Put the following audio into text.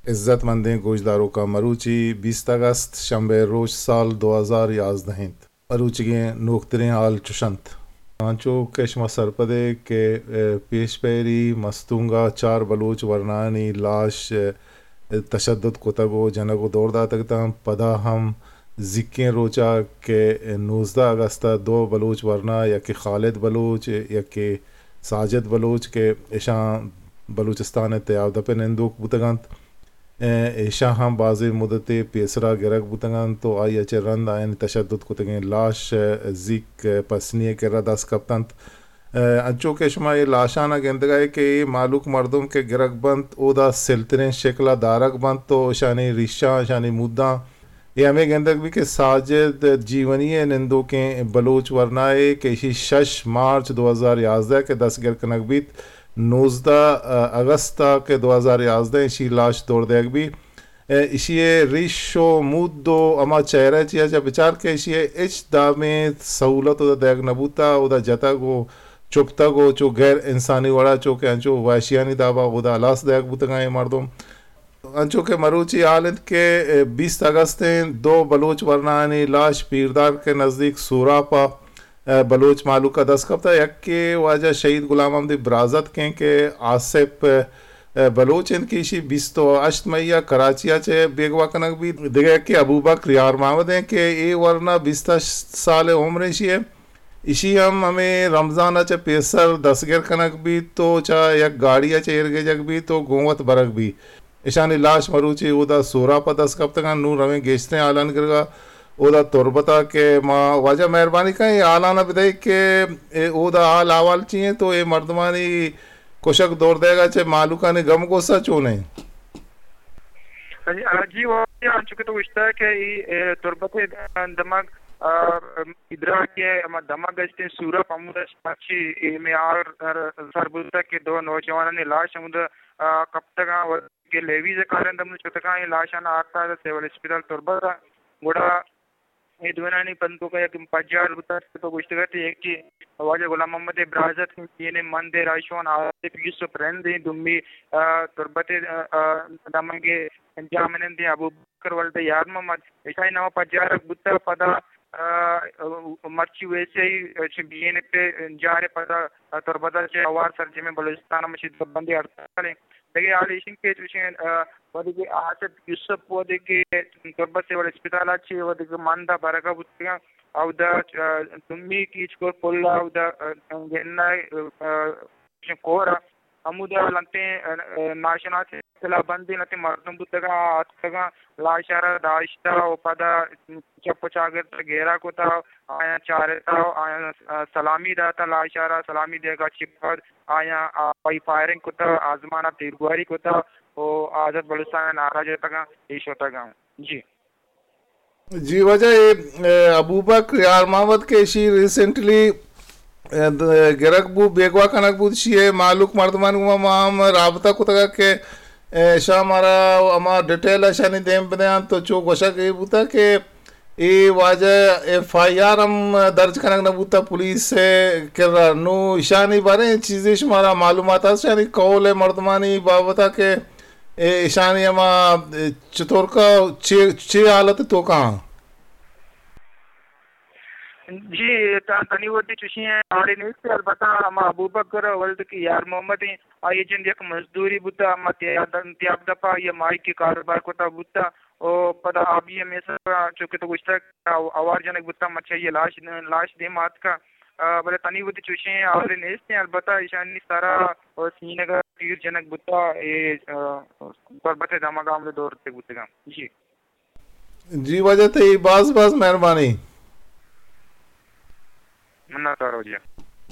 عزت مندیں گوشداروکاں، مروچی بیست اگست، شنبے روچ، سال دو ہزار یازدہ انت۔ مروچیگیں نوکتریں حال چش انت۔ انچو کہ شما سرپد ئے کہ، اے، پیش پیری مستونگ ءَ چار بلوچ ورنایانی لاش، اے، تشدد کتگ ءُ جنگ ءُ دور داتگ اتاں، پدا ہم زیکیں روچ ءَ کہ نوزدہ اگست ءَ دو بلوچ ورنا، یکے خالد بلوچ، یکے ساجد بلوچ کہ اشاں بلوچستان ءِ تیاب دپ ءِ نندوک بوتگ انت۔ اے، ایشاں ہم بازیں مدتے پیسرا گرگ بوتگ انت ءُ آئی ءَ چہ رند آیانی تشدد کتگیں لاش، اے، زیک، اے، پسنی ءِ کرا دست کپت انت۔ اے، انچو کہ شما اے لاشان ءَ گندگ ءَ ئے کہ اے مہلوک مردم کہ گرگ بنت، اودا سلتریں شکل ءَ دارگ بنت ءُ اشانی ریشاں، اشانی موداں اے ہمے گندگ بیت کہ ساجد جیونی ءِ نندوکیں بلوچ ورنائے کہ ایشی شش مارچ دو ہزار یازدہ کہ دستگر کنگ بیت، نوزدہ اگست ءَ کہ دو ہزار یازدہ ایشی لاش دور دیگ بیت۔ ایشی ءِ ریش ءُ مود ءُ ہما چہرہ چیا چہ بچار کہ ایشی ءَ ہچ دابیں سہولت اودا دیگ نہ بوتا، اودا جتگ ءُ چپتگ ءُ چو غیر انسانی وڑا چو کہ انچو وحشیانی دابا اودا ہلاس دیگ بوتگاں اے مردم۔ انچو کہ مروچی حال انت کہ بیست اگست ءَ دو بلوچ ورنایانی لاش پیردار کے نزدیک سوراپ ءَ بلوچ مہلوک ءَ دست کپتہ۔ یکے واجہ شہید غلام محمد برازتک انت کہ آصف بلوچ انت کہ ایشی بیست ءُ ہشت مئی ءَ کراچی ءَ چہ بیگواہ کنگ بیت۔ دگہ یکے ابوبکر یار محمد انت کہ اے ورنا بیست ءُ ہشت سال عمر ایشی ءِ۔ ایشی ہم ہمے رمضان ءَ چہ پیسر دستگر کنگ بیت ءُ چہ یک گاڑی ءَ چہ ایر گیجگ بیت ءُ گوں وت برگ بیت۔ اشانی لاش مروچی اودا سوراپ ءَ دست کپتگ انت۔ نوں رویں گیشتریں حالانی کرگا اودا تربت ءَ کہ ما واجہ مہربانی کن اے حالان ءَ بدئے کہ اے اودا حال احوال چی انت ءُ اے مردمانی کشگ دور دئیگ ءَ چہ مہلوکانی گم غصہ چون انت؟ جی، آ، جی، واجہ انچو کہ تو گوشتہ کہ اے، اے، تربت ءِ دمگ، آ، ادراک ءِ ہما دمگ است انت سوراپ ہمودا مرچی اے مئے حال سر بوتگ کہ دو نوجوانانی لاش ہمودا، آ، کپتگاں۔ کہ لیویز ءِ کارندہ ہم شتگاں، اے لاشاں آرتگ سول اسپتال تربت ءَ۔ گڑا اے دوئینانی بندوک ءَ یک پجار بوتگ کہ تو گوشتگ ئے، یکے واجہ غلام محمد ءِ برازتک، بی این اے مند ءِ راہشون آصف یوسف رند ایں، دومی، آ، تربت ءِ، آ، آ، دمگ ءِ جاہمنند ایں ابوبکر ولد یار محمد۔ اشانی نام پجارگ بوتگ پدا، آ، مرچی ویسے ہی چہ بی این اے پجار ءَ پدا تربت ءَ چہ ہوار سرجمیں بلوچستان ءَ مچی دربندی ہڑتال ایں۔ دگہ حال ایش انت کہ چوشیں، آ، وھدے کہ آصف یوسف وھدے کہ تربت سول اسپتال ءَ چہ وھدے کہ مند ءَ برگ ءَ بوتگاں، اودا، آ، دومی کیچ کور پل ءَ اودا، آ، گنہ، آ، چوشیں کور ءَ ہمودا لنٹیں، آ، آ، ناشناسیں سلاہ بندیں لنٹیں مردم بوتگاں، آ اتکگاں، لاش ءَ را داشتہ ءُ پدا چپ ءُ چاگرد ءَ گھیرا کتہ، آیاں چارتہ ءُ آیاں، آ، سلامی داتہ، لاش ءَ را سلامی دیگ ءَ چہ پد آیاں، آ، پائی فائرنگ کتہ، آزمان ءَ تیرگواری کتہ ءُ آزاد بلوچستان ءِ نعرہ جتگاں، اے شتگاں۔ جی۔ جی واجہ، اے، اے، ابوبکر یار محمد کہ ایشی ریسنٹلی، اے، د-، گرگ بو، بیگواہ کنگ بوت، ایشی ءِ مہلوک مردمانی گوما ما ہم رابطہ کتگ کہ، اے، اشاں مارا ہما ڈیٹیل اشانی دیم بدیاں تو چو گوشگ اے بوتگ کہ اے واجہ ایف آئی آر ہم درج کنگ نہ بوتگ پولیس ءِ کرا۔ نوں اشانی بارے چیزے شمارا معلومات است، اشانی قول ءِ مردمانی بابت ءَ کہ اے اشانی ہما، اے، چطور کا چے، چے حالت توکا؟ جی، تا-، تنی وتی چوشیں حالے نیست، البتہ ہما ابوبکر ولد کہ یار محمد ایں، آئی جند یک مزدوری بوتا، ہما تیاب، تیاب دپا یا ماہی کہ کاروبار کتا بوتا، او پدا آبی ہمے سرا چونکہ تو گوشتا کہ آوار جنگ بوتا، مرچی لاش، لاش دیم آتکا، آ، بلے تنی وتی چوشیں حالے نیست ایں، البتہ ایشانی سرا و سینگ ءَ تیر جنگ بوتا، اے، آ، تربت ءِ دمگ ءَ ہمود ءَ دور دیگ بوتگاں۔ جی۔ جی واجہ، تئی باز باز مہربانی۔ منت وار واجہ۔